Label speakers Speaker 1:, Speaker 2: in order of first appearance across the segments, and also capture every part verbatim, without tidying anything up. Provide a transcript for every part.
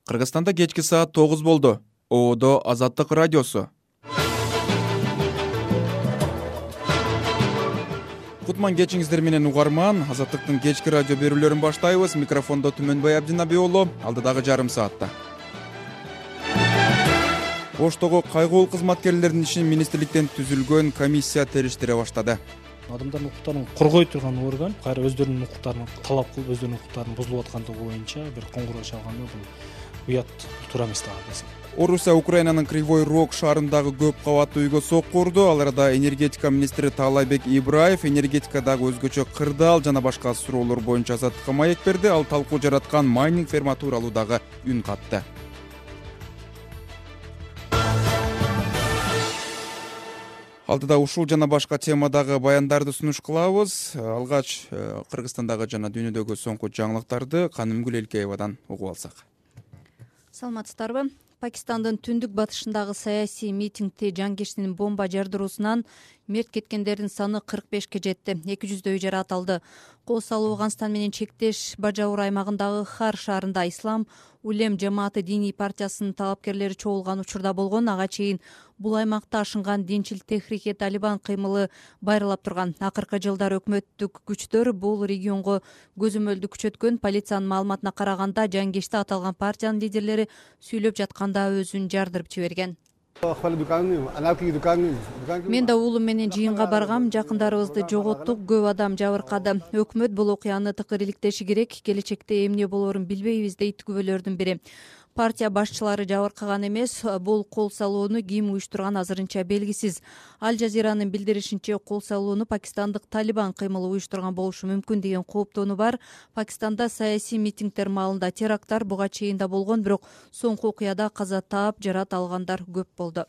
Speaker 1: Кыргызстанда кечки саат тогуз болду. Оодо Азаттык радиосу. Кутман кечиңиздер менен угарман. Азаттыктын кечки радио берүүлөрүн баштайбыз. Микрофондо Түмөнбай Абдинаби уулу. Алдыдагы жарым саатта. Поштого кайгылуу кызматкерлердин ишин министрликтен түзүлгөн комиссия териштире баштады.
Speaker 2: Адамдардын укуктарын коргой турган орган кайра өздөрүнүн укуктарын талап кылып, өздөрүнүн укуктарын бузулуп аткандыгы боюнча бир коңгуроо чалганда бул уят туура эмес деп атасың.
Speaker 1: Орусия Украинанын Кривой Рог шаарындагы көп кабаттуу үйгө сокку урду. Ал арада энергетика министри Таалайбек Ибраев энергетикадагы өзгөчө кырдаал жана башка суроолор боюнча Азаттыкка маек берди. Ал талкуу жараткан майнинг ферма тууралуу дагы үн катты. Алдыда ушул жана башка темадагы баяндарды сунуш кылабыз. Алгач Кыргызстандагы жана дүйнөдөгү соңку жаңылыктарды Канымгүл Элкеевадан угуп алсак.
Speaker 3: Саламатсыздарбы? Пакистандын түндүк батышындагы саясий митингде жангештин бомба жардыруусунан мерт кеткендердин саны кырк бешке жетти. эки жүздөй жаракат алды. Кол салуу Афганистан менен чектеш Бажаур аймагындагы Хар шаарында Ислам Улем жамааты диний партиясынын талапкерлери чогулган учурда болгон. Ага чейин бул аймакта ашынган Динчил Техрике Талибан кыймылы байыралап турган. Акыркы жылдары өкмөттүк күчтөр бул регионго көзөмөлдү күчөткөн. Полициянын маалыматына караганда жангеште аталган партиянын лидерлери сүйлөп жатканда өзүн жардырып жиберген. Мен да уулум менен жыйынга баргам, жакындарыбызды жоготтук, көп адам жабыркады. Өкмөт бул окуяны тыкыр иликтеши керек, келечекте эмне болоорун билбейбиз дейт күбөлөрдүн бири. Партия башчылары жабыркаган эмес, бул кол салууну ким уюштурган азырынча белгисиз. Аль Жазиранын билдиришинче, кол салууну пакистандык Талибан кыймылы уюштурган болушу мүмкүн деген кооптонуу бар. Пакистанда саясий митингдер маалында теракттар буга чейин да болгон, бирок соңку окуяда каза таап, жарат алгандар көп болду.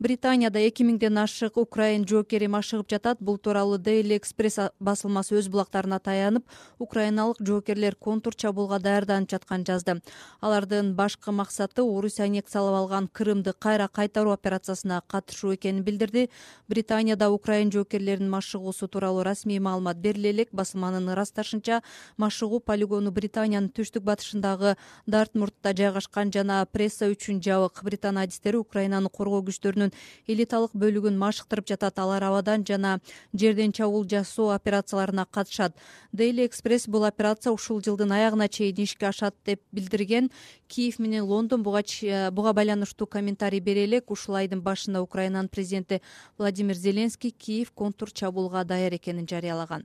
Speaker 3: Британияда эки миңден ашык украин жоокери машыгып жатат. Бул тууралуу Daily Express басылмасы өз булактарына таянып, украиналык жоокерлер контур чабуулга даярданып жатканын жазды. Алардын башкы максаты Орусия аннексиялап алган Крымды кайра кайтаруу операциясына катышуу экенин билдирди. Британияда украин жоокерлеринин машыгуусу тууралуу расмий маалымат бериле элек. Басылманын ырасташынча, машыгуу полигону Британиянын түштүк батышындагы Дартмуртта жайгашкан жана пресса үчүн жабык. Британ адистери Украинаны коргоо күчтөрүнүн элиталык бөлүгүн машыктырып жатат. Алар абадан жана жерден чабуул жасоо операцияларына катышат. Daily Express бул операция ушул жылдын аягына чейин ишке ашат деп билдирген. Киев менен Лондон буга буга байланыштуу комментарий бере элек. Ушул айдын башында Украинанын президенти Владимир Зеленский Киев контур чабуулга даяр экенин жарыялаган.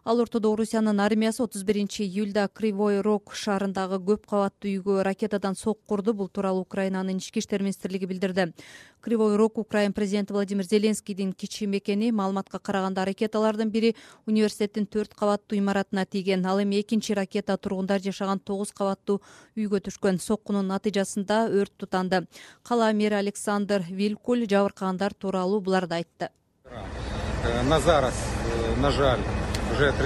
Speaker 3: Ал ортодо Орусиянын армиясы отуз биринчи июлда Кривой Рог шаарындагы көп кабаттуу үйгө ракетадан сокку урду. Бул тууралуу Украинанын ички иштер министрлиги билдирди. Кривой Рог Украин президенти Владимир Зеленскийдин кичи мекени. Маалыматка караганда ракеталардын бири университеттин төрт кабаттуу имаратына тийген. Ал эми экинчи ракета тургундар жашаган тогуз кабаттуу үйгө түшкөн. Соккунун натыйжасында өрт тутанды. Кала мэри Александр Вилкуль жабыркагандар тууралуу буларды айтты.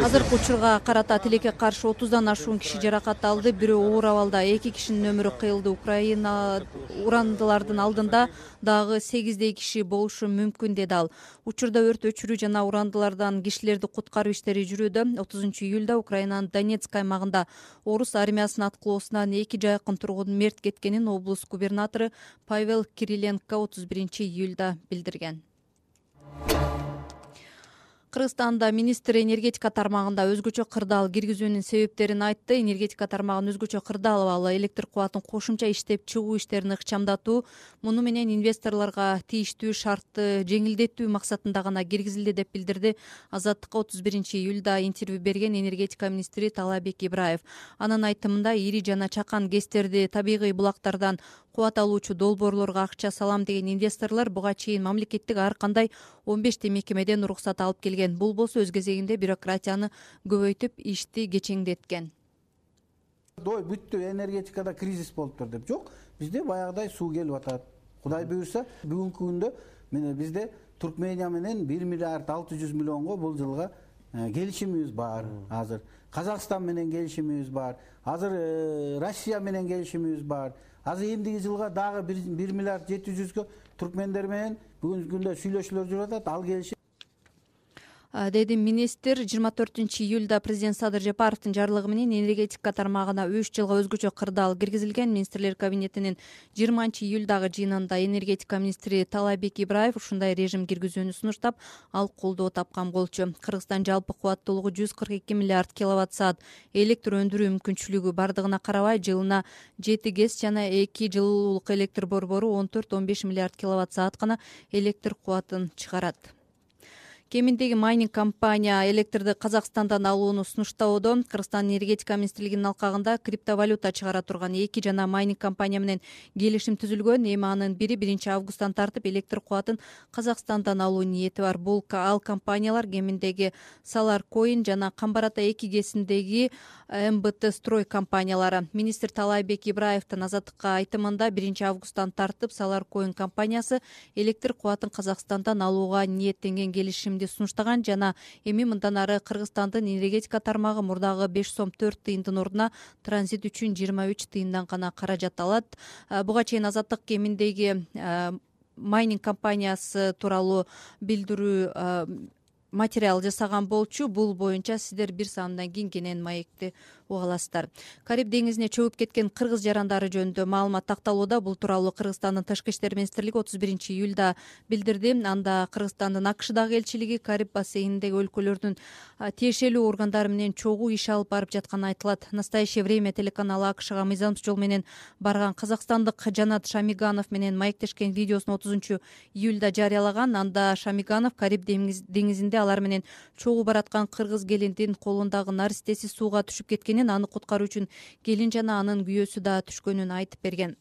Speaker 3: Азыркы учурга карата тилекке каршы отуздан ашуун киши жаракат алды. Бирөө оор абалда, эки кишинин өмүрү кыйылды. Украина урандылардын алдында дагы сегиздей киши болушу мүмкүн, деди ал. Учурда өрт өчүрүү жана урандылардан кишилерди куткаруу иштери жүрүүдө. отузунчу июлда Украинанын Донецк аймагында орус армиясынын аткылоосунан эки жайкын тургун мерт кеткенин облус губернатору Павел Кириленко отуз биринчи июлда билдирген. Кыргызстанда министр энергетика тармагында өзгөчө кырдаал киргизүүнүн себептерин айтты. Энергетика тармагын өзгөчө кырдаал алалы электр кубатын кошумча иштеп чыгуу иштерин ыкчамдатуу, муну менен инвесторлорго тийиштүү шартты жеңилдетүү максатында гана киргизилди деп билдирди Азаттыкка отуз биринчи июлда интервью берген энергетика министри Таалайбек Ибраев. Анын айтымында, ири жана чакан гэстерди табигый булактардан кубат алуучу долбоорлорго акча салам деген инвесторлор буга чейин мамлекеттик ар кандай он бешти мекемеден уруксат алып келген. Бул болсо өз кезегинде бюрократияны көбөйтүп, ишти кечеңдеткен.
Speaker 4: Дой бүттү, энергетикада кризис болуптур деп. Жок, бизде баягыдай суу келип атат. Кудай буйрса, бүгүнкү күндө мына бизде Туркмения менен бир миллиард алты жүз миллионго бул жылга келишимибиз бар азыр. Казакстан менен келишимибиз бар. Азыр Россия менен келишимибиз бар. Азыр эмдиги жылга дагы бир миллиард жети жүзгө туркмендер менен бүгүнкү күндө сүйлөшүүлөр жүрүп атат. Ал келишим
Speaker 3: деди министр. жыйырма төртүнчү июлда президент Садыр Жапаровдун жарлыгы менен энергетика тармагына үч жылга өзгөчө кырдаал киргизилген. Министрлер кабинетинин жыйырманчы июлдагы жыйынында энергетика министри Таалайбек Ибраев ушундай режим киргизүүнү сунуштап, ал колдоо тапкан болчу. Кыргызстан жалпы кубаттуулугу жүз кырк эки миллиард киловатт саат электр өндүрүү мүмкүнчүлүгү бардыгына карабай жылына жети ГЭС жана эки жылуулук электр борбору он төрт он беш миллиард киловатт саат гана электр кубатын чыгарат. Кеминдеги майнинг компания электрди Казакстандан алууну сунуштоодо. Кыргызстан энергетика министрлигинин алкагында криптовалюта чыгара турган эки жана майнинг компания менен келишим түзүлгөн. Эми анын бири биринчи августтан тартып электр кубатын Казакстандан алуу ниети бар. Бул ал компаниялар кеминдеги Solar Coin жана Камбар Ата эки ГЭСиндеги эм бэ тэ строй компаниялары. Министр Таалайбек Ибраевдин Азаттыкка айтымында биринчи августтан тартып Solar Coin компаниясы электр кубатын Казакстандан алууга ниеттенген келишимди сунуштаган жана эми мындан ары Кыргызстандын энергетика тармагы мурдагы беш сом төрт тыйындын ордуна транзит үчүн жыйырма үч тыйындан гана каражат алат. Буга чейин Азаттык кеминдеги майнинг компаниясы тууралуу билдирүү материал жасаган болчу. Бул боюнча сиздер бир саамдан кийин кенен маекти уга аласыздар. Кариб деңизине чөгүп кеткен кыргыз жарандары жөнүндө маалымат такталууда. Бул тууралуу Кыргызстандын Тышкы иштер министрлиги отуз биринчи июлда билдирди. Анда Кыргызстандын АКШдагы элчилиги Кариб бассейниндеги өлкөлөрдүн тиешелүү органдары менен чогуу иш алып барып жатканы айтылат. Настоящее время телеканалы АКШга мыйзамсыз жол менен барган казакстандык Жанат Шамиганов менен маектешкен видеосун отузунчу июлда жарыялаган. Анда Шамиганов Кариб деңизинде алар менен чогуу бараткан кыргыз келиндин колундагы наристеси сууга түшүп кеткен. Аны куткаруу үчүн келин жана анын күйөөсү да түшкөнүн айтып берген.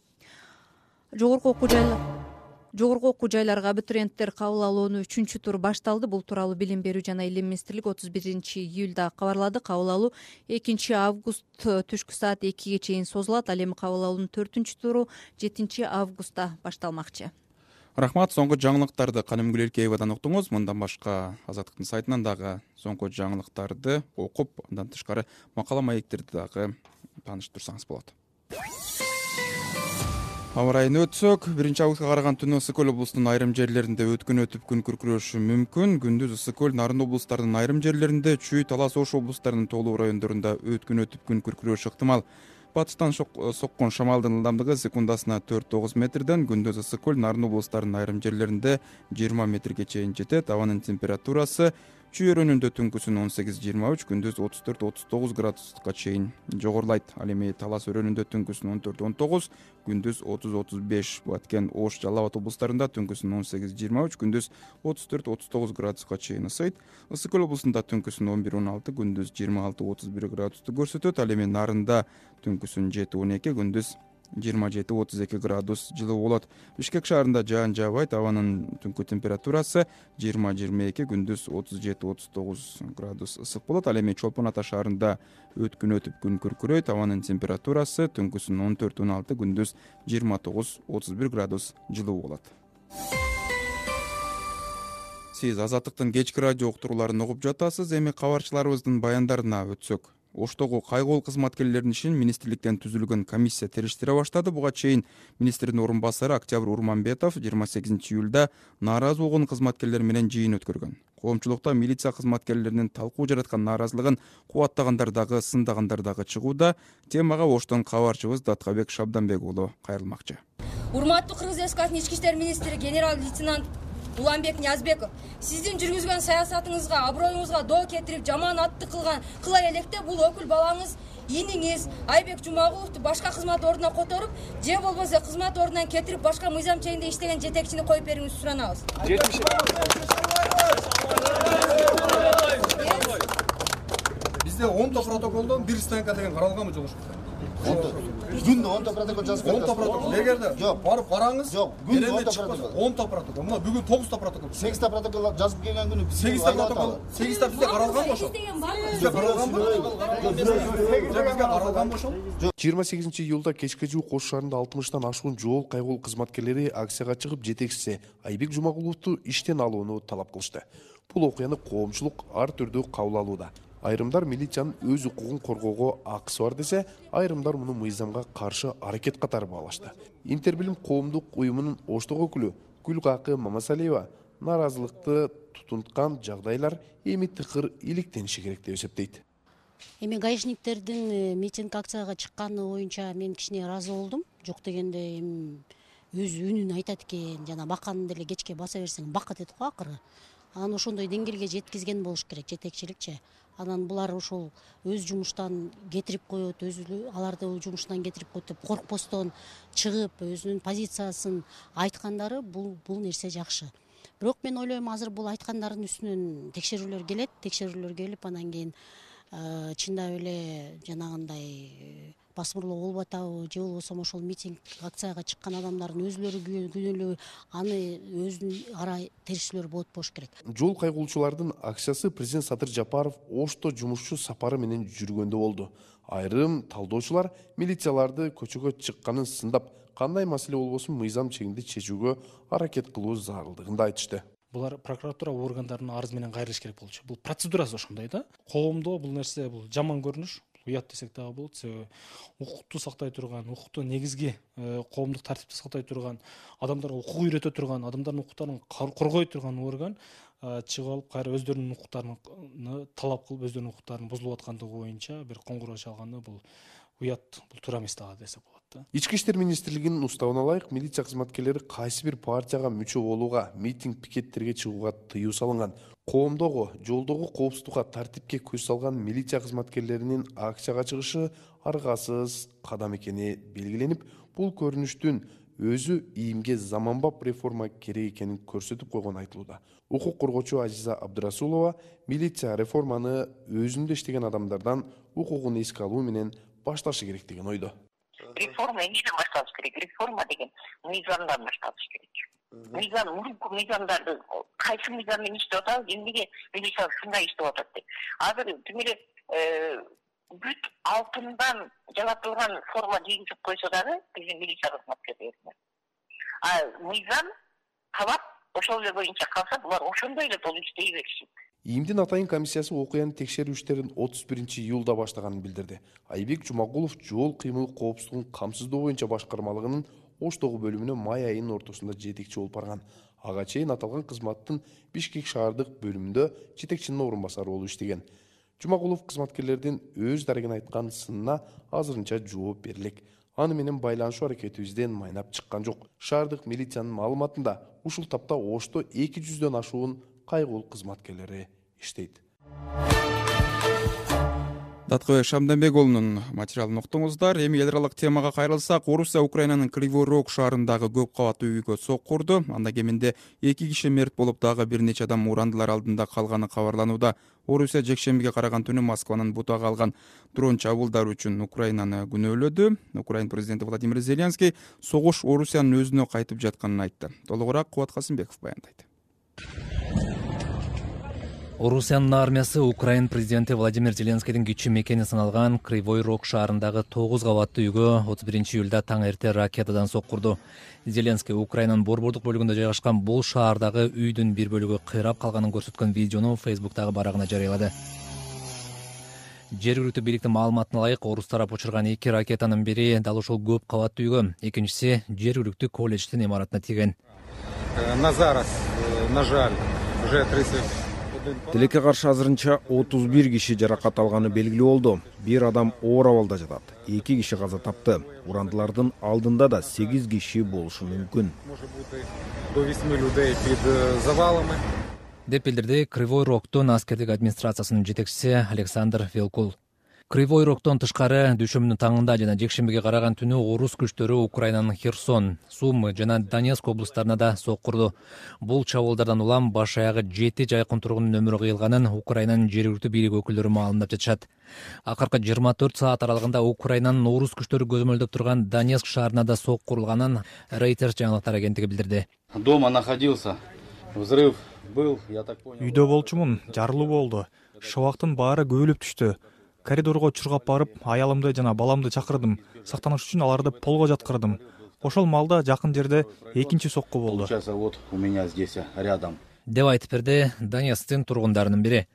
Speaker 3: Жогорку окуу жайлар Жогорку окуу жайларга абитуриенттер кабыл алуунун үчүнчү туру башталды. Бул тууралуу Билим берүү жана Илим министрлиги отуз биринчи июлда кабарлады. Кабыл алуу экинчи август түшкү саат экиге чейин созулат. Ал эми кабыл алуунун төртүнчү туру жетинчи августта башталмакчы.
Speaker 1: Рахмат. Соңку жаңылыктарды Каным Гүлеркеевадан уктуңуз. Мындан башка Азаттыктын сайтынан дагы соңку жаңылыктарды окуп, андан тышкары макала маектерди дагы тааныштырсаңыз болот. Аба райын өтсөк, биринчи августка караган түнү Ысык Көл облусунун айрым жерлеринде өткүн өтүп күн күркүрөшү мүмкүн. Күндүз Ысык Көл, Нарын облустарынын айрым жерлеринде, Чүй, Талас, Ош облустарынын тоолуу райондорунда өткүн өтүп күн күркүрөшү ыктымал. Батыштан соккон шамалдын ылдамдыгы секундасына төрт тогуз метрден, күндүз Ысык Көл, Нарын облустарынын айрым жерлеринде жыйырма метрге чейин жетет. Абанын температурасы Чүй өрөөнүндө түнкүсүн он сегиз жыйырма үч, күндүз отуз төрт отуз тогуз градуска чейин жогорулайт. Ал эми Талас өрөөнүндө түнкүсүн он төрт он тогуз, күндүз отуз отуз беш. Баткен, Ош, Жалал Абад облустарында түнкүсүн он сегиз жыйырма үч, күндүз отуз төрт отуз тогуз градуска чейин ысыйт. Ысык Көл облусунда түнкүсүн он бир он алты, күндүз жыйырма алты отуз бир градусту көрсөтөт. Ал эми Нарында түнкүсүн жети он эки, күндүз жыйырма жети отуз эки градус жылуу болот. Бишкек шаарында жаан жаабайт. Абанын түнкү температурасы жыйырма жыйырма эки, күндүз отуз жети отуз тогуз градус ысык болот. Ал эми Чолпон Ата шаарында өткүн өтүп күн күркүрөйт. Абанын температурасы түнкүсүн он төрт он алты, күндүз жыйырма тогуз отуз бир градус жылуу болот. Сиз Азаттыктын кечки радио уктурууларын угуп жатасыз. Эми кабарчыларыбыздын баяндарына өтсөк. Оштогу кайгоол кызматкерлердин ишин министрликтен түзүлгөн комиссия териштире баштады. Буга чейин министрдин орун басары Октябрь Урманбетов жыйырма сегизинчи июлда нааразы болгон кызматкерлер менен жыйын өткөргөн. Коомчулукта милиция кызматкерлеринин талкуу жараткан нааразылыгын кубаттагандар дагы, сындагандар дагы чыгууда. Темага Оштон кабарчыбыз Даткабек Шабданбек уулу кайрылмакчы.
Speaker 5: Урматтуу Кыргыз Республикасынын ички иштер министри генерал-лейтенант Уланбек Ниязбеков, сиздин жүргүзгөн саясатыңызга, аброюңузга доо кетирип, жаман атты кылган кыла электе бул өкүл балаңыз, иниңиз Айбек Жумагуловду башка кызмат ордуна которуп, же болбосо кызмат ордунан кетирип, башка мыйзам чегинде иштеген жетекчини коюп берүүңүздү суранабыз.
Speaker 6: Бизде онто протоколдон бир станка деген каралганбы жок?
Speaker 7: Күндө онто протокол жазып
Speaker 6: онто протокол. Эгерде барып караңыз,
Speaker 7: жок, күндө онто протокол.
Speaker 6: онто протокол. Мына бүгүн тогузта протокол.
Speaker 7: сегизта протокол жазып келген күнү
Speaker 6: сегизта протокол. сегизта бизде каралганбы ошо? Бизде каралганбы? Бизде каралганбы ошо?
Speaker 8: жыйырма сегизинчи июлда кечке жуук Ош шаарында алтымыштан ашуун жол кайгоол кызматкерлери акцияга чыгып, жетекчиси Айбек Жумагуловду иштен алууну талап кылышты. Бул окуяны коомчулук ар түрдүү кабыл алууда. Айрымдар милициянын өз укугун коргоого акысы бар десе, айрымдар муну мыйзамга каршы аракет катары баалашты. Интербилим коомдук уюмунун Оштогу өкүлү Гүлкакы Мамасалиева нааразылыкты тутунткан жагдайлар эми тыкыр иликтениши керек деп эсептейт.
Speaker 9: Эми гаишниктердин митинг акцияга чыкканы боюнча мен кичине ыраазы болдум. Жок дегенде эми өз үнүн айтат экен, жана баканы деле кечке баса берсең бакыт эт го акыры. Анан ошондой деңгээлге жеткизген болуш керек жетекчиликчи. Анан булар ошол өз жумуштан кетирип коет, өз аларды жумуштан кетирип коет деп коркпостон чыгып, өзүнүн позициясын айткандары бул бул нерсе жакшы. Бирок мен ойлойм, азыр бул айткандардын үстүнөн текшерүүлөр келет, текшерүүлөр келип анан кийин чындап эле жанагындай басмырлоо болуп атабы, же болбосо ошол митинг акцияга чыккан адамдардын өзүлөрү күнөөлүү, аны өзүн ара териштирүүлөр болот болуш керек.
Speaker 8: Жол кайгылуучулардын акциясы президент Садыр Жапаров Ошто жумушчу сапары менен жүргөндө болду. Айрым талдоочулар милицияларды көчөгө чыкканын сындап, кандай маселе болбосун мыйзам чегинде чечүүгө аракет кылуу зарылдыгын айтышты.
Speaker 2: Булар прокуратура органдарынын арыз менен кайрылыш керек болчу. Бул процедурасы ошондой да. Коомдо бул нерсе бул жаман көрүнүш, уят десек дагы болот. Себеби укукту сактай турган, укукту негизги коомдук тартипти сактай турган, адамдарга укук үйрөтө турган, адамдардын укуктарын коргой турган орган чыгып алып кайра өздөрүнүн укуктарын талап кылып, өздөрүнүн укуктарынын бузулуп аткандыгы боюнча бир коңгуроо чалганы бул уят, бул туура эмес дагы десек болот да.
Speaker 8: Ички иштер министрлигинин уставына ылайык, милиция кызматкерлери кайсы бир партияга мүчө болууга, митинг пикеттерге чыгууга тыюу салынган. Коомдогу, жолдогу коопсуздукка, тартипке көз салган милиция кызматкерлеринин акцияга чыгышы аргасыз кадам экени белгиленип, бул көрүнүштүн өзү ийимге заманбап реформа керек экенин көрсөтүп койгону айтылууда. Укук коргоочу Азиза Абдырасулова милиция реформаны өзүндө иштеген адамдардан укугун эске алуу менен башташы керек деген ойдо.
Speaker 10: Реформа эмнеден башталыш керек? Реформа деген мыйзамдан башталыш керек. Мыйзам, мурунку мыйзамдарды кайсы мыйзам менен иштеп атабыз, эмнеге милиция ушундай иштеп атат деп. Азыр тим эле бүт алтындан жаратылган форма кийгизип койсо дагы биздин милиция кызматкерлерине. А мыйзам талап ошол эле боюнча калса, булар ошондой эле болуп иштей беришет.
Speaker 8: ИИМдин атайын комиссиясы окуяны текшерүү иштерин отуз биринчи июлда баштаганын билдирди. Айбек Жумагулов жол кыймыл коопсуздугун камсыздоо боюнча башкармалыгынын Оштогу бөлүмүнө май айынын ортосунда жетекчи болуп барган. Ага чейин аталган кызматтын Бишкек шаардык бөлүмүндө жетекчинин орун басары болуп иштеген. Жумагулов кызматкерлердин өз дарегин айткан сынына азырынча жооп берилек. Аны менен байланышуу аракетибизден майнап чыккан жок. Шаардык милициянын маалыматында ушул тапта Ошто эки жүздөн ашуун кайгылуу кызматкерлери иштейт.
Speaker 1: Даткыбек Шамданбек уулунун материалын уктуңуздар. Эми эл аралык темага кайрылсак, Орусия Украинанын Кривой Рог шаарындагы көп кабаттуу үйгө соккурду. Анда кеминде эки киши мерт болуп, дагы бир нече адам урандылар алдында калганы кабарланууда. Орусия жекшембиге караган түнү Москванын бутага алган дрон чабуулдары үчүн Украинаны күнөөлөдү. Украин президенти Владимир Зеленский согуш Орусиянын өзүнө кайтып жатканын айтты. Толугураак Кубат Касымбеков баяндайт.
Speaker 11: Орусиянын армиясы Украин президенти Владимир Зеленскийдин кичи мекени саналган Кривой Рог шаарындагы тогуз кабаттуу үйгө отуз биринчи июлда таң эрте ракетадан соккурду. Зеленский Украинанын борбордук бөлүгүндө жайгашкан бул шаардагы үйдүн бир бөлүгү кыйрап калганын көрсөткөн видеону Фейсбуктагы барагына жарыялады. Жергиликтүү бийликтин маалыматына ылайык, орус тарап учурган эки ракетанын бири дал ушул көп кабаттуу үйгө, экинчиси жергиликтүү колледждин имаратына тийген.
Speaker 12: На зараз, на жаль, уже тридцать.
Speaker 13: Тилекке каршы азырынча отуз бир киши жаракат алганы белгилүү болду. Бир адам оор абалда жатат. эки киши каза тапты. Урандылардын алдында да сегиз киши болушу мүмкүн.
Speaker 11: Деп билдирди Кривой Рогдун аскердик администрациясынын жетекчиси Александр Велкул. Кривой Рогдон тышкары дүйшөмбүнүн таңында жана жекшембиге караган түнү орус күчтөрү Украинанын Херсон, Сумы жана Донецк облустарына да соккурду. Бул чабуулдардан улам баш аягы жети жайкын тургундун өмүрү кыйылганын Украинанын жергиликтүү бийлик өкүлдөрү маалымдап жатышат. Акыркы жыйырма төрт саат аралыгында Украинанын орус күчтөрү көзөмөлдөп турган Донецк шаарына да соккурулганын Reuters жаңылыктар агенттиги билдирди.
Speaker 12: Дома находился. Взрыв был, я так понял.
Speaker 14: Үйдө болчумун, жарылуу болду. Шабактын баары көбөлүп түштү. Коридорго чургап барып, аялымды жана баламды чакырдым. Сактаныш үчүн аларды полго жаткырдым. Ошол маалда жакын жерде экинчи сокку болду.
Speaker 12: Сейчас вот у меня здесь рядом.
Speaker 11: Деп айтып берди Донецктин тургундарынын бири.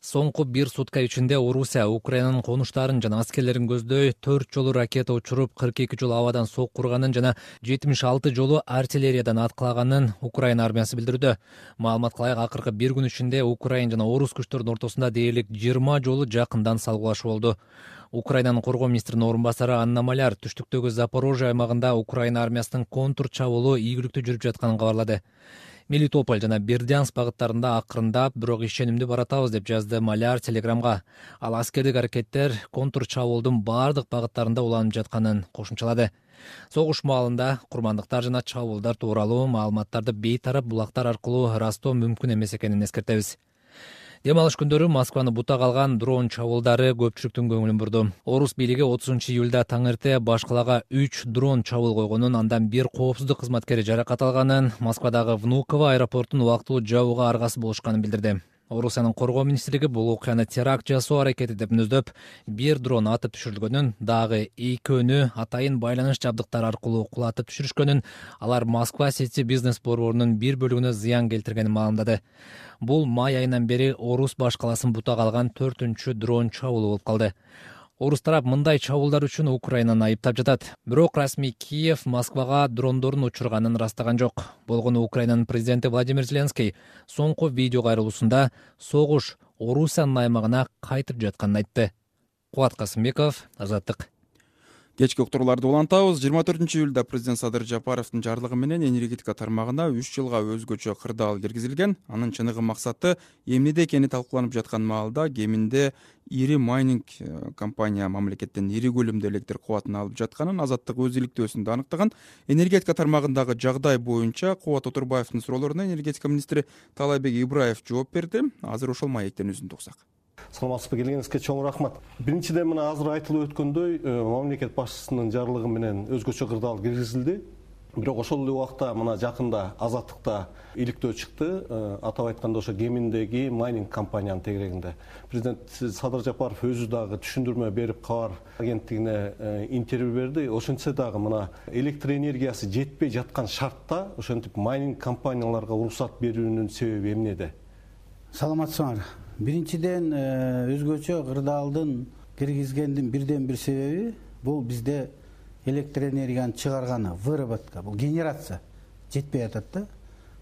Speaker 11: Соңку бир сутка ичинде Орусия Украинанын конуштарын жана аскерлерин көздөй төрт жолу ракета учуруп, кырк эки жолу абадан сокку урганын жана жетимиш алты жолу артиллериядан аткылаганын Украина армиясы билдирүүдө. Маалыматка ылайык, акыркы бир күн ичинде Украин жана орус күчтөрүнүн ортосунда дээрлик жыйырма жолу жакындан салгылашуу болду. Украинанын коргоо министринин орун басары Анна Маляр түштүктөгү Запорожье аймагында Украина армиясынын контур чабуулу ийгиликтүү жүрүп жатканын кабарлады. Мелитополь жана Бердянск багыттарында акырындап, бирок ишенимдүү баратабыз деп жазды Маляр Телеграмга. Ал аскердик аракеттер контур чабуулдун бардык багыттарында уланып жатканын кошумчалады. Согуш маалында курмандыктар жана чабуулдар тууралуу маалыматтарды бейтарап булактар аркылуу ырастоо мүмкүн эмес экенин эскертебиз. Дем алыш күндөрү Москваны бутак алган дрон чабуулдары көпчүлүктүн көңүлүн бурду. Орус бийлиги отузунчу июлда таң эрте баш калаага үч дрон чабуул койгонун, андан бир коопсуздук кызматкери жаракат алганын, Москвадагы Внуково аэропортун убактылуу жабууга аргасыз болушканын билдирди. Орусиянын коргоо министрлиги бул окуяны теракт жасоо аракети деп мүнөздөп, бир дрон атып түшүрүлгөнүн, дагы экөөнү атайын байланыш жабдыктары аркылуу кулатып түшүрүшкөнүн, алар Москва Сити бизнес борборунун бир бөлүгүнө зыян келтиргенин маалымдады. Бул май айынан бери Орус баш каласын бутак алган төртүнчү дрон чабуулу болуп калды. Орус тарап мындай чабуулдар үчүн Украинаны айыптап жатат. Бирок расмий Киев Москвага дрондорун учурганын ырастаган жок. Болгону Украинанын президенти Владимир Зеленский соңку видео кайрылуусунда согуш Орусиянын аймагына кайтып жатканын айтты. Кубат Касымбеков, Азаттык.
Speaker 1: Кечки уктурууларды улантабыз. жыйырма төртүнчү июлда президент Садыр Жапаровдун жарлыгы менен энергетика тармагына үч жылга өзгөчө кырдаал киргизилген. Анын чыныгы максаты эмнеде экени талкууланып жаткан маалда кеминде ири майнинг компания мамлекеттен ири көлөмдө электр кубатын алып жатканын Азаттык өз иликтөөсүндө аныктаган. Энергетика тармагындагы жагдай боюнча Кубат Отурбаевдин суроолоруна энергетика министри Таалайбек Ибраев жооп берди. Азыр ошол маектен үзүн туксак.
Speaker 15: Саламатсызбы, келгениңизге чоң рахмат. Биринчиден мына азыр айтылып өткөндөй, мамлекет башчысынын жарлыгы менен өзгөчө кырдаал киргизилди. Бирок ошол эле убакта мына жакында Азаттыкта иликтөө чыкты. Атап айтканда ошо кеминдеги майнинг компаниянын тегерегинде. Президент Садыр Жапаров өзү дагы түшүндүрмө берип, кабар агенттигине интервью берди. Ошентсе дагы мына электр энергиясы жетпей жаткан шартта ошентип майнинг компанияларга уруксат берүүнүн себеби эмнеде?
Speaker 4: Саламатсыңар. Биринчиден өзгөчө кырдаалдын киргизгендин бирден бир себеби бул бизде электр энергияны чыгарганы, выработка, бул генерация жетпей атат да.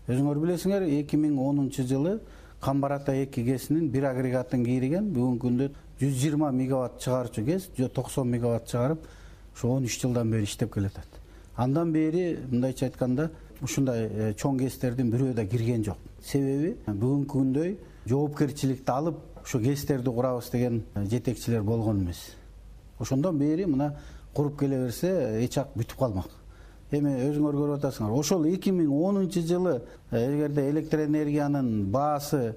Speaker 4: Өзүңөр билесиңер, эки миң онунчу жылы Камбар-Ата эки гэсинин бир агрегатын кийриген, бүгүнкү күндө жүз жыйырма мегаватт чыгарчу гэс, токсон мегаватт чыгарып, ушу он үч жылдан бери иштеп келатат. Андан бери мындайча айтканда, ушундай чоң гэстердин бирөө да кирген жок. Себеби бүгүнкү күндөй жоопкерчиликти алып, ушу гэстерди курабыз деген жетекчилер болгон эмес. Ошондон бери мына куруп келе берсе, эч ак бүтүп калмак. Эми өзүңөр көрүп атасыңар. Ошол эки миң онунчу жылы эгерде электр энергиянын баасы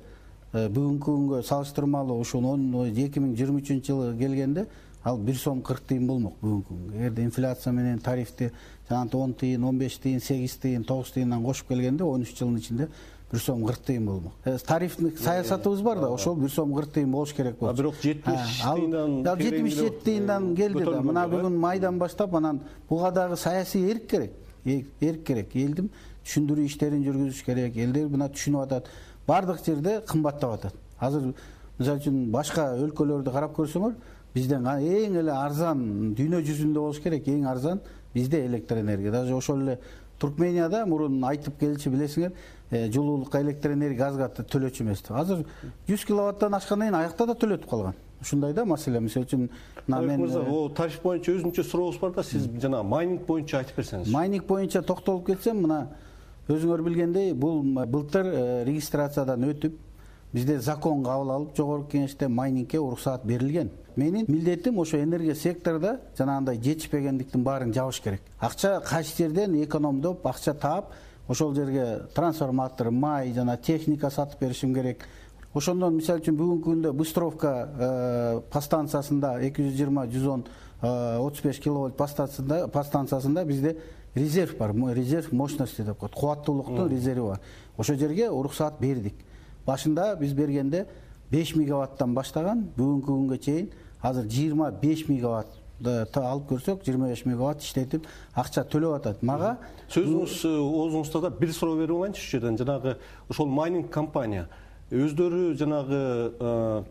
Speaker 4: бүгүнкү күнгө салыштырмалуу ушул эки миң жыйырма үчүнчү жылы келгенде, ал бир сом кырк тыйын болмок бүгүнкү күнгө. Эгерде инфляция менен тарифти жанагы он тыйын, он беш тыйын, сегиз тыйын, тогуз тыйындан кошуп келгенде он үч жылдын ичинде бир сом кырк тыйын болмок. Тарифтик саясатыбыз бар да, ошол бир сом кырк тыйын болуш керек болчу.
Speaker 15: Бирок жетимиш тыйындан
Speaker 4: жетимиш жети тыйындан келди да. Мына бүгүн майдан баштап анан буга дагы саясий эрк керек. Эрк керек. Элдин түшүндүрүү иштерин жүргүзүш керек. Элдер мына түшүнүп атат. Бардык жерде кымбаттап атат. Азыр мисалы үчүн башка өлкөлөрдү карап көрсөңөр, бизден эң эле арзан дүйнө жүзүндө болуш керек, эң арзан бизде электр энергия. Даже ошол эле Туркменияда мурун айтып келчү билесиңер, жылуулукка электр энергия газга төлөчү эмес. Азыр жүз киловаттан ашкандан кийин аякта да төлөтүп калган. Ушундай да маселе. Мисалы үчүн
Speaker 15: мен о тариф боюнча өзүнчө сурообуз бар да, сиз жана майнинг боюнча айтып берсеңиз.
Speaker 4: Майнинг боюнча токтолуп кетсем, мына өзүңөр билгендей, бул былтыр регистрациядан өтүп, бизде закон кабыл алып, жогорку кеңеште майнингке уруксаат берилген. Менин милдетим ошо энергия секторунда жанагындай жетишпегендиктин баарын жабыш керек. Акча кайсы жерден экономдоп, акча таап, ошол жерге трансформатор, май жана техника сатып беришим керек. Ошондон мисалы үчүн бүгүнкү күндө Быстровка подстанциясында эки жүз жыйырма жүз он отуз беш киловольт подстанциясында подстанциясында бизде резерв бар, резерв мощности деп коет, кубаттуулуктун резерви бар. Ошол жерге уруксаат бердик. Башында биз бергенде беш мегаваттан баштаган, бүгүнкү күнгө чейин азыр жыйырма беш мегаватт алып көрсөк, жыйырма беш мегаватт иштетип акча төлөп атат. Мага
Speaker 15: сөзүңүз оозуңузда да бир суроо берип алайынчы ушул жерден. Жанагы ошол майнинг компания өздөрү жанагы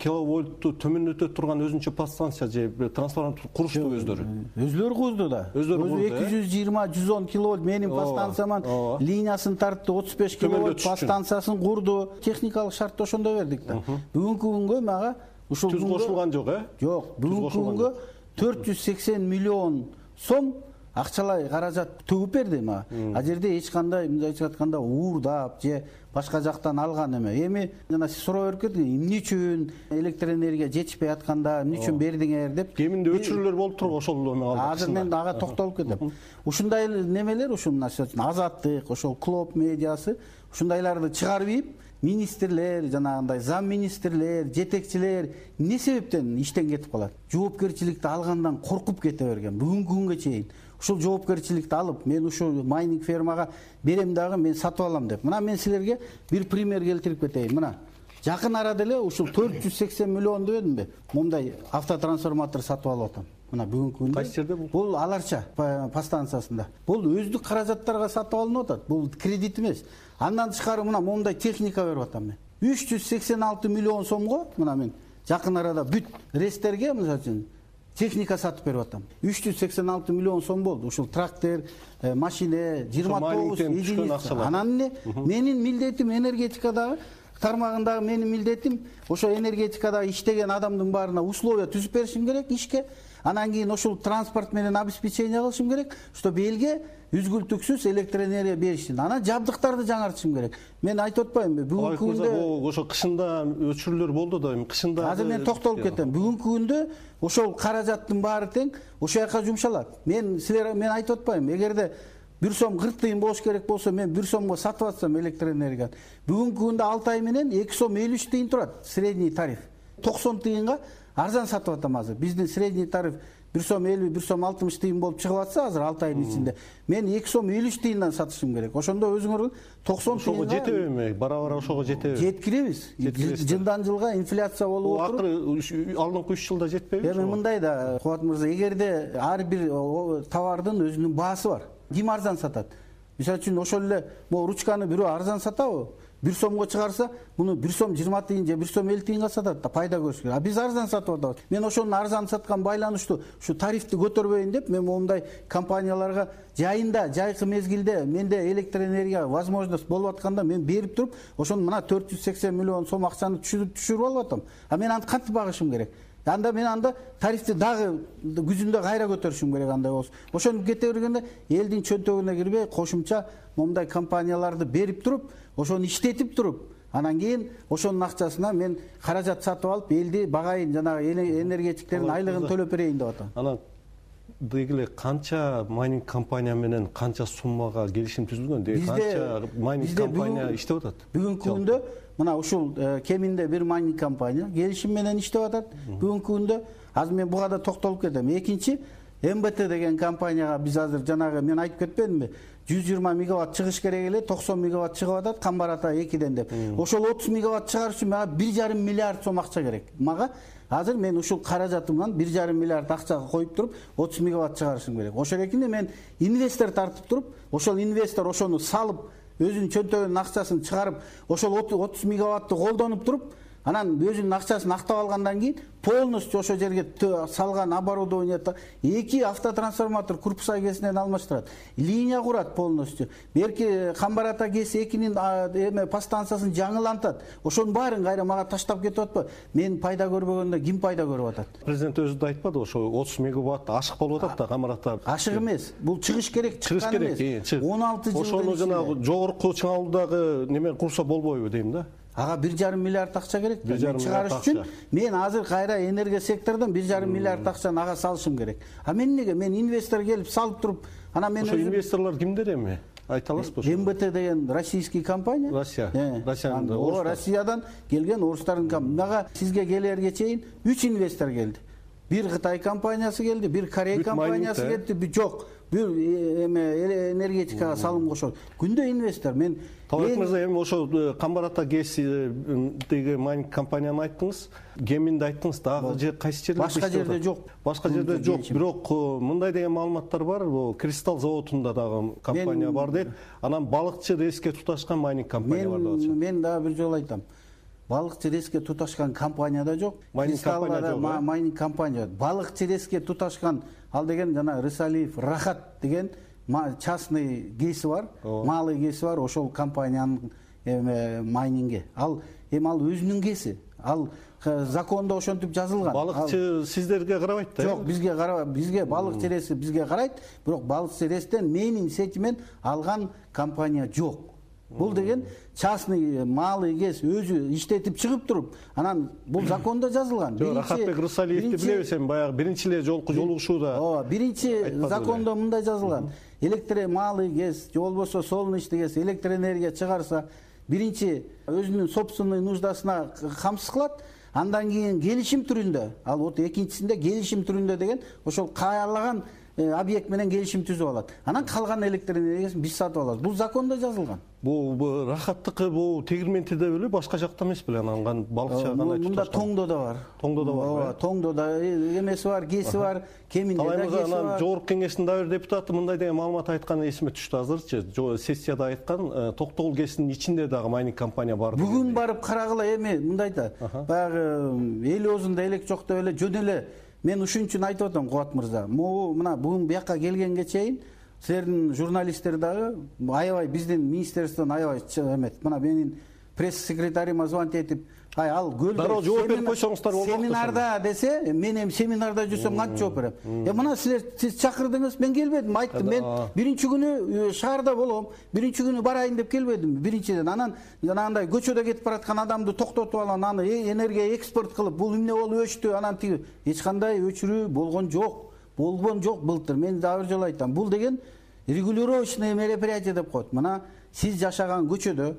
Speaker 15: киловольтту төмөндөтө турган өзүнчө подстанция же трансформатор курушту өздөрү.
Speaker 4: Өзүлөрү курду да.
Speaker 15: Өзү
Speaker 4: эки жүз жыйырма жүз он киловольт менин подстанцияман линиясын тартты, отуз беш киловольт подстанциясын курду. Техникалык шартты ошондой бердик да. Бүгүнкү күнгө мага ушул
Speaker 15: түз кошулган жок, э?
Speaker 4: Жок, бүгүнкү күнгө төрт жүз сексен миллион сом акчалай каражат төгүп берди мага. А жерде эч кандай мындай айтып атканда уурдап же башка жактан алган эме. Эми жана сиз суроо берип кеттиңиз, эмне үчүн электр энергия жетишпей атканда эмне үчүн бердиңер деп.
Speaker 15: Кеминде өчүрүүлөр болуп турбу ошол эме алды.
Speaker 4: Азыр мен ага токтолуп кетем. Ушундай немелер, ушул Азаттык, ошол Клоп медиасы ушундайларды чыгарып ийип, министрлер, жанагындай зам министрлер, жетекчилер эмне себептен иштен кетип калат? Жоопкерчиликти алгандан коркуп кете берген. Бүгүнкү күнгө чейин ушул жоопкерчиликти алып, мен ушул майнинг фермага берем дагы, мен сатып алам деп. Мына мен силерге бир пример келтирип кетейин. Мына жакын арада эле ушул төрт жүз сексен миллион дебедимби? Момундай автотрансформатор сатып алып атам. Мына бүгүнкү күндө
Speaker 15: кайсы жерде бул?
Speaker 4: Бул Аларча подстанциясында. Бул өздүк каражаттарга сатып алынып атат. Бул кредит эмес. Андан тышкары мына момундай техника берип атам мен. үч жүз сексен алты миллион сомго мына мен жакын арада бүт рестерге мисалы үчүн техника сатып берип атам. үч жүз сексен алты миллион сом болду. Ушул трактор, машина, жыйырма тогуз единица. Анан эмне? Менин милдетим энергетикадагы тармагындагы менин милдетим ошо энергетикадагы иштеген адамдын баарына условия түзүп беришим керек ишке. Анан кийин ошол транспорт менен обеспечение кылышым керек, чтобы элге үзгүлтүксүз электр энергия беришин. Анан жабдыктарды жаңартышым керек. Мен айтып атпаймынбы, бүгүнкү күндө
Speaker 15: ошо кышында өчүрүүлөр болду да, эми кышында
Speaker 4: азыр мен токтолуп кетем. Бүгүнкү күндө ошол каражаттын баары тең ошол жака жумшалат. Мен силер мен айтып атпаймынбы, эгерде бир сом кырк тыйын болуш керек болсо, мен бир сомго сатып атсам электр энергияны, бүгүнкү күндө алты ай менен эки сом элүү үч тыйын турат средний тариф. токсон тыйынга арзан сатып атам азыр. Биздин средний тариф бир сом элүү, бир сом алтымыш тыйын болуп чыгып атса азыр алты айдын ичинде. Мен эки сом элүү үч тыйындан сатышым керек. Ошондо өзүңөр токсон тыйынга
Speaker 15: ошого жетеби? Бара-бара ошого жетеби?
Speaker 4: Жеткиребиз. Жылдан жылга инфляция болуп отуруп.
Speaker 15: Акыры алдыңкы үч жылда жетпеби?
Speaker 4: Эми мындай да, Кубат мырза, эгерде ар бир товардын өзүнүн баасы бар. Ким арзан сатат? Мисалы үчүн ошол эле могу ручканы бирөө арзан сатабы? бир сомго чыгарса, муну бир сом жыйырма тыйын же бир сом элүү тыйынга сатат да, пайда көрүш керек. А биз арзан сатып атабыз. Мен ошонун арзан саткан байланыштуу ушу тарифти көтөрбөйүн деп, мен моундай компанияларга жайында, жайкы мезгилде менде электр энергия возможность болуп атканда мен берип туруп, ошону мына төрт жүз сексен миллион сом акчаны түшүрүп алып атам. А мен аны кантип багышым керек? Анда мен анда тарифти дагы күзүндө кайра көтөрүшүм керек андай болсо. Ошентип кете бергенде элдин чөнтөгүнө кирбей кошумча момундай компанияларды берип туруп, ошону иштетип туруп, анан кийин ошонун акчасына мен каражат сатып алып, элди багайын, жанагы энергетиктердин айлыгын төлөп берейин деп атам.
Speaker 15: Анан дегиле канча майнинг компания менен канча суммага келишим түзүлгөн? Деги канча майнинг компания иштеп атат?
Speaker 4: Бүгүнкү күндө мына ушул кеминде бир майнинг компания келишим менен иштеп атат. Бүгүнкү күндө азыр мен буга да токтолуп кетем. Экинчи эм бэ тэ деген компанияга биз азыр жанагы мен айтып кетпедимби? жүз жыйырма мегаватт чыгыш керек эле, токсон мегаватт чыгып атат Камбар ата экиден деп. Ошол отуз мегаватт чыгарыш үчүн мага бир жарым миллиард сом акча керек. Мага азыр мен ушул каражатымдан бир жарым миллиард акчага коюп туруп, отуз мегаватт чыгарышым керек. Ошол экинде мен инвестор тартып туруп, ошол инвестор ошону салып, өзүнүн чөнтөгүнүн акчасын чыгарып, ошол отуз мегаватты колдонуп туруп, анан өзүнүн акчасын актап алгандан кийин полностью ошол жерге салган оборудованието эки автотрансформатор корпуса кесинен алмаштырат. Линия курат полностью. Берки Камбар ата кеси экинин эме подстанциясын жаңылантат. Ошонун баарын кайра мага таштап кетип атпы? Мен пайда көрбөгөндө ким пайда көрүп атат?
Speaker 15: Президент өзү да айтпады, ошо отуз мегаватт ашык болуп атат да Камбар ата.
Speaker 4: Ашык эмес. Бул чыгыш керек, чыгыш
Speaker 15: керек.
Speaker 4: он алты жыл.
Speaker 15: Ошону жанагы жогорку чыңалуудагы неме курса болбойбу дейм да.
Speaker 4: Ага бир жарым миллиард акча керек. Мен чыгарыш үчүн мен азыр кайра энергия секторунан бир жарым миллиард акчаны ага салышым керек. А мен неге? Мен инвестор келип салып туруп, анан мен
Speaker 15: ошо инвесторлор кимдер эми? Айта аласызбы?
Speaker 4: эм бэ тэ деген российский компания.
Speaker 15: Россия. Россиядан.
Speaker 4: О, Россиядан келген орустардын компаниясы. Мага сизге келерге чейин үч инвестор келди. Бир Кытай компаниясы келди, бир Корея компаниясы келди, бир жок. Бир эме энергетикага салым кошот. Күндө инвестор. Мен
Speaker 15: Талап мырза, эми ошо Камбар ата кесидеги майнинг компанияны айттыңыз, Кеминди айттыңыз, дагы же кайсы жерде?
Speaker 4: Башка жерде жок.
Speaker 15: Башка жерде жок. Бирок мындай деген маалыматтар бар, бул Кристалл заводунда дагы компания бар дейт. Анан балыкчы рейске туташкан майнинг компания бар деп атышат.
Speaker 4: Мен дагы бир жолу айтам. балыкчы резке туташкан компания да жок.
Speaker 15: Майнинг компания жок.
Speaker 4: Майнинг компания. Балыкчы резке туташкан ал деген жана Рысалиев Рахат деген частный кеси бар, малый кеси бар, ошол компаниянын майнинге. Ал эми ал өзүнүн кеси. Ал закондо ошентип жазылган.
Speaker 15: Балыкчы сиздерге карабайт да?
Speaker 4: Жок, бизге карабайт. Бизге балыкчы реси бизге карайт, бирок балыкчы рестен менин сетимен алган компания жок. Бул деген частный малый кес өзү иштетип чыгып туруп, анан бул закондо жазылган.
Speaker 15: Рахатбек Рысалиевди билебиз эми, баягы биринчи эле жолку жолугушууда.
Speaker 4: Ооба, биринчи закондо мындай жазылган. Электр малый кес, же болбосо солнечный кес электроэнергия чыгарса, биринчи өзүнүн собственный нуждасына камсыз кылат, андан кийин келишим түрүндө, ал вот экинчисинде келишим түрүндө деген ошол каалаган объект менен келишим түзүп алат. Анан калган электроэнергиясын биз сатып алабыз. Бул закондо жазылган.
Speaker 15: Бул Рахаттыкы бул Тегирментиде беле, башка жакта эмес беле, анан балыкчы кандай туташкан?
Speaker 4: Мында Тоңдо да бар.
Speaker 15: Тоңдо да бар.
Speaker 4: Ооба, Тоңдо да эмеси бар, кеси бар, Кеминде да кеси бар.
Speaker 15: Анан жогорку кеңештин дагы бир депутаты мындай деген маалымат айтканы эсиме түштү азырчы. Сессияда айткан, Токтогул кесинин ичинде дагы майнинг компания бар.
Speaker 4: Бүгүн барып карагыла, эми мындай да. Баягы эл оозунда элек жок деп эле жөн эле мен ушун үчүн айтып атам, Кубат мырза. Могу мына бүгүн бияка келгенге чейин силердин журналисттер дагы аябай биздин министерстводон аябай эмет. Мына менин пресс-секретарима звонить этип, ай ал көлдө
Speaker 15: дароо жооп берип койсоңуздар болот.
Speaker 4: Семинарда десе, мен эми семинарда жүрсөм кантип жооп берем? Э мына силер сиз чакырдыңыз, мен келбедим, айттым. Мен биринчи күнү шаарда болом, биринчи күнү барайын деп келбедим. Биринчиден анан жанагындай көчөдө кетип бараткан адамды токтотуп алам, аны энергия экспорт кылып, бул эмне болуп өчтү, анан тиги эч кандай өчүрүү болгон жок. Болгон жок былтыр. Мен дагы бир жолу айтам. Бул деген регулировочный мероприятие деп коет. Мына сиз жашаган көчөдө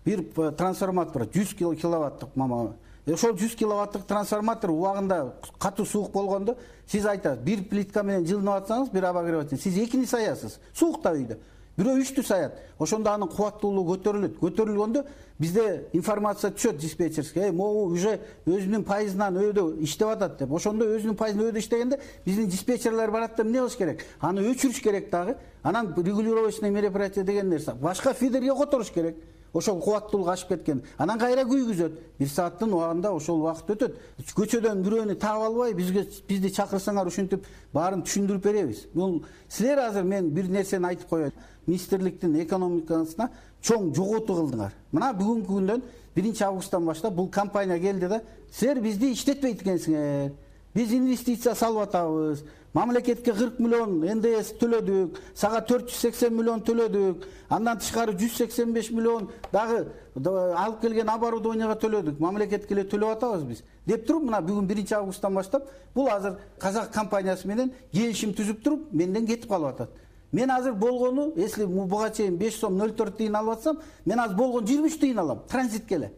Speaker 4: бир трансформатор жүз киловаттык мама. Ошол жүз киловаттык трансформатор убагында катуу суук болгондо сиз айтасыз, бир плитка менен жылынып атсаңыз, бир обогреватель, сиз экини саясыз. Суукта үйдө. Бирөө үчтү саят. Ошондо анын кубаттуулугу көтөрүлөт. Көтөрүлгөндө бизде информация түшөт диспетчерге. Э, могу уже өзүнүн пайызынан өйдө иштеп атат деп. Ошондо өзүнүн пайызынан өйдө иштегенде биздин диспетчерлер барат да эмне кылыш керек? Аны өчүрүш керек дагы. Анан регулировочный мероприятие деген нерсе. Башка фидерге которуш керек. Ошол кубаттуулугу ашып кеткен. Анан кайра күйгүзөт. бир сааттын убагында ошол убакыт өтөт. Көчөдөн бирөөнү таап албай, бизге бизди чакырсаңар ушинтип баарын түшүндүрүп беребиз. Бул силер азыр мен бир нерсени айтып коеюн. Министрликтин экономикасына чоң жоготуу кылдыңар. Мына бүгүнкү күндөн биринчи августтан баштап бул компания келди да, силер бизди иштетпейт экенсиңер. Биз инвестиция салып атабыз. Мамлекетке кырк миллион эн дэ эс төлөдүк, сага төрт жүз сексен миллион төлөдүк. Андан тышкары жүз сексен беш миллион дагы алып келген оборудованияга төлөдүк. Мамлекетке эле төлөп атабыз биз. Деп туруп, мына бүгүн биринчи августтан баштап бул азыр казак компаниясы менен келишим түзүп туруп, менден кетип калып атат. Мен азыр болгону, если буга чейин беш сом ноль төрт тыйын алып атсам, мен азыр болгон жыйырма үч тыйын алам. Транзитке эле.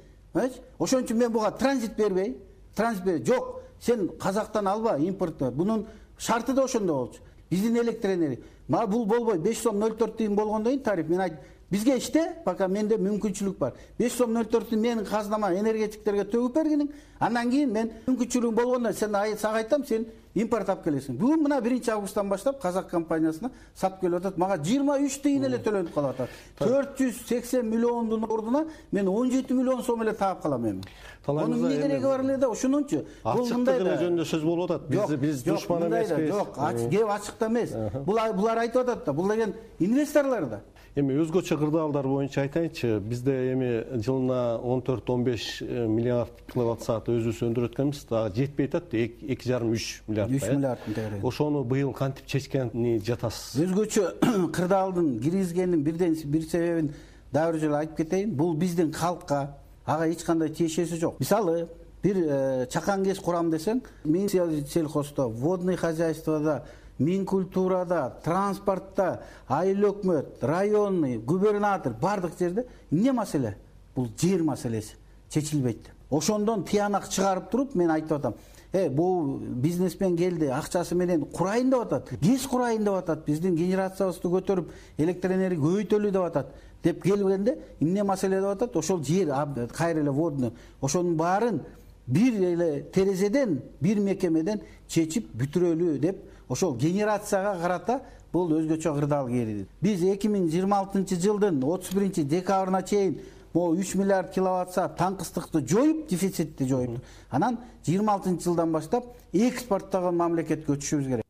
Speaker 4: Ошон үчүн мен буга транзит бербей, транзит бербей. Жок, сен казактан алба импортты. Бунун шарты да ошондой болчу. Биздин электроэнергия. Мага бул болбой беш сом ноль төрт тыйын болгондон кийин тариф мен айт. Бизге иште, пока менде мүмкүнчүлүк бар. беш сом ноль төрт тыйын менин казнама энергетиктерге төгүп бергиниң. Андан кийин мен мүмкүнчүлүгүм болгондо сен сага айтам, сен импорт алып келесиң. Бүгүн мына биринчи августтан баштап казак компаниясына сатып келип атат. Мага жыйырма үч тыйын эле төлөнүп калып атат. төрт жүз сексен миллиондун ордуна мен он жети миллион сом эле таап калам эми. Анын эмне кереги бар эле да, ошонунчу.
Speaker 15: Бул мындай да жөнүндө сөз болуп атат. Биз биз душман эмеспиз.
Speaker 4: Жок, кеп ачыкта эмес. Булар айтып атат да, бул деген инвесторлор да.
Speaker 15: Эми өзгөчө кырдаалдар боюнча айтайынчы, бизде эми жылына он төрт он беш миллиард киловатт саат өзүбүз өндүрөт экенбиз, дагы жетпей атат, эки жарым үч миллиард.
Speaker 4: үч миллиардтын тегереги.
Speaker 15: Ошону быйыл кантип чечкени жатасыз?
Speaker 4: Өзгөчө кырдаалдын киргизгенин бирден бир себебин дагы бир жолу айтып кетейин. Бул биздин калкка ага эч кандай тиешеси жок. Мисалы, бир чакан кес курам десең, мен сельхоздо, водный хозяйствода, Минкультурада, транспортта, айыл өкмөт, районный, губернатор бардык жерде эмне маселе? Бул жер маселеси чечилбейт. Ошондон тыянак чыгарып туруп мен айтып атам. Э, бул бизнесмен келди, акчасы менен курайын деп атат. Кес курайын деп атат. Биздин генерациябызды көтөрүп, электроэнергия көбөйтөлү деп атат. Деп келгенде эмне маселе деп атат? Ошол жер кайра эле водный. Ошонун баарын бир эле терезеден, бир мекемеден чечип бүтүрөлү деп ошол генерацияга карата бул өзгөчө кырдаал келди. Биз эки миң жыйырма алтынчы жылдын отуз биринчи декабрына чейин могу үч миллиард киловатт саат таңкыстыкты жоюп, дефицитти жоюп, анан жыйырма алтынчы жылдан баштап экспорттогон мамлекетке өтүшүбүз керек.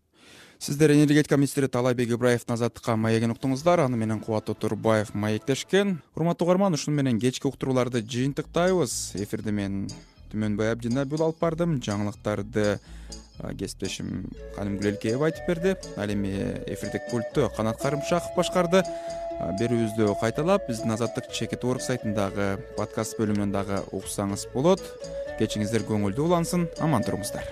Speaker 1: Сиздер энергетика министри Таалайбек Ибраевдин азаттыкка маегин уктуңуздар. Аны менен Кубат Отурбаев маектешкен. Урматтуу угарман, ушуну менен кечки уктурууларды жыйынтыктайбыз. Эфирди мен Түмөнбай Абдинабил алып бардым. Жаңылыктарды кесиптешим Каным Гүлелкеева айтып берди. Ал эми эфирдик пультту Канат Карымшаков башкарды. Берүүбүздү кайталап, биздин Азаттык чекит орг сайтындагы подкаст бөлүмүнөн дагы уксаңыз болот. Кечиңиздер көңүлдүү улансын, аман туруңуздар.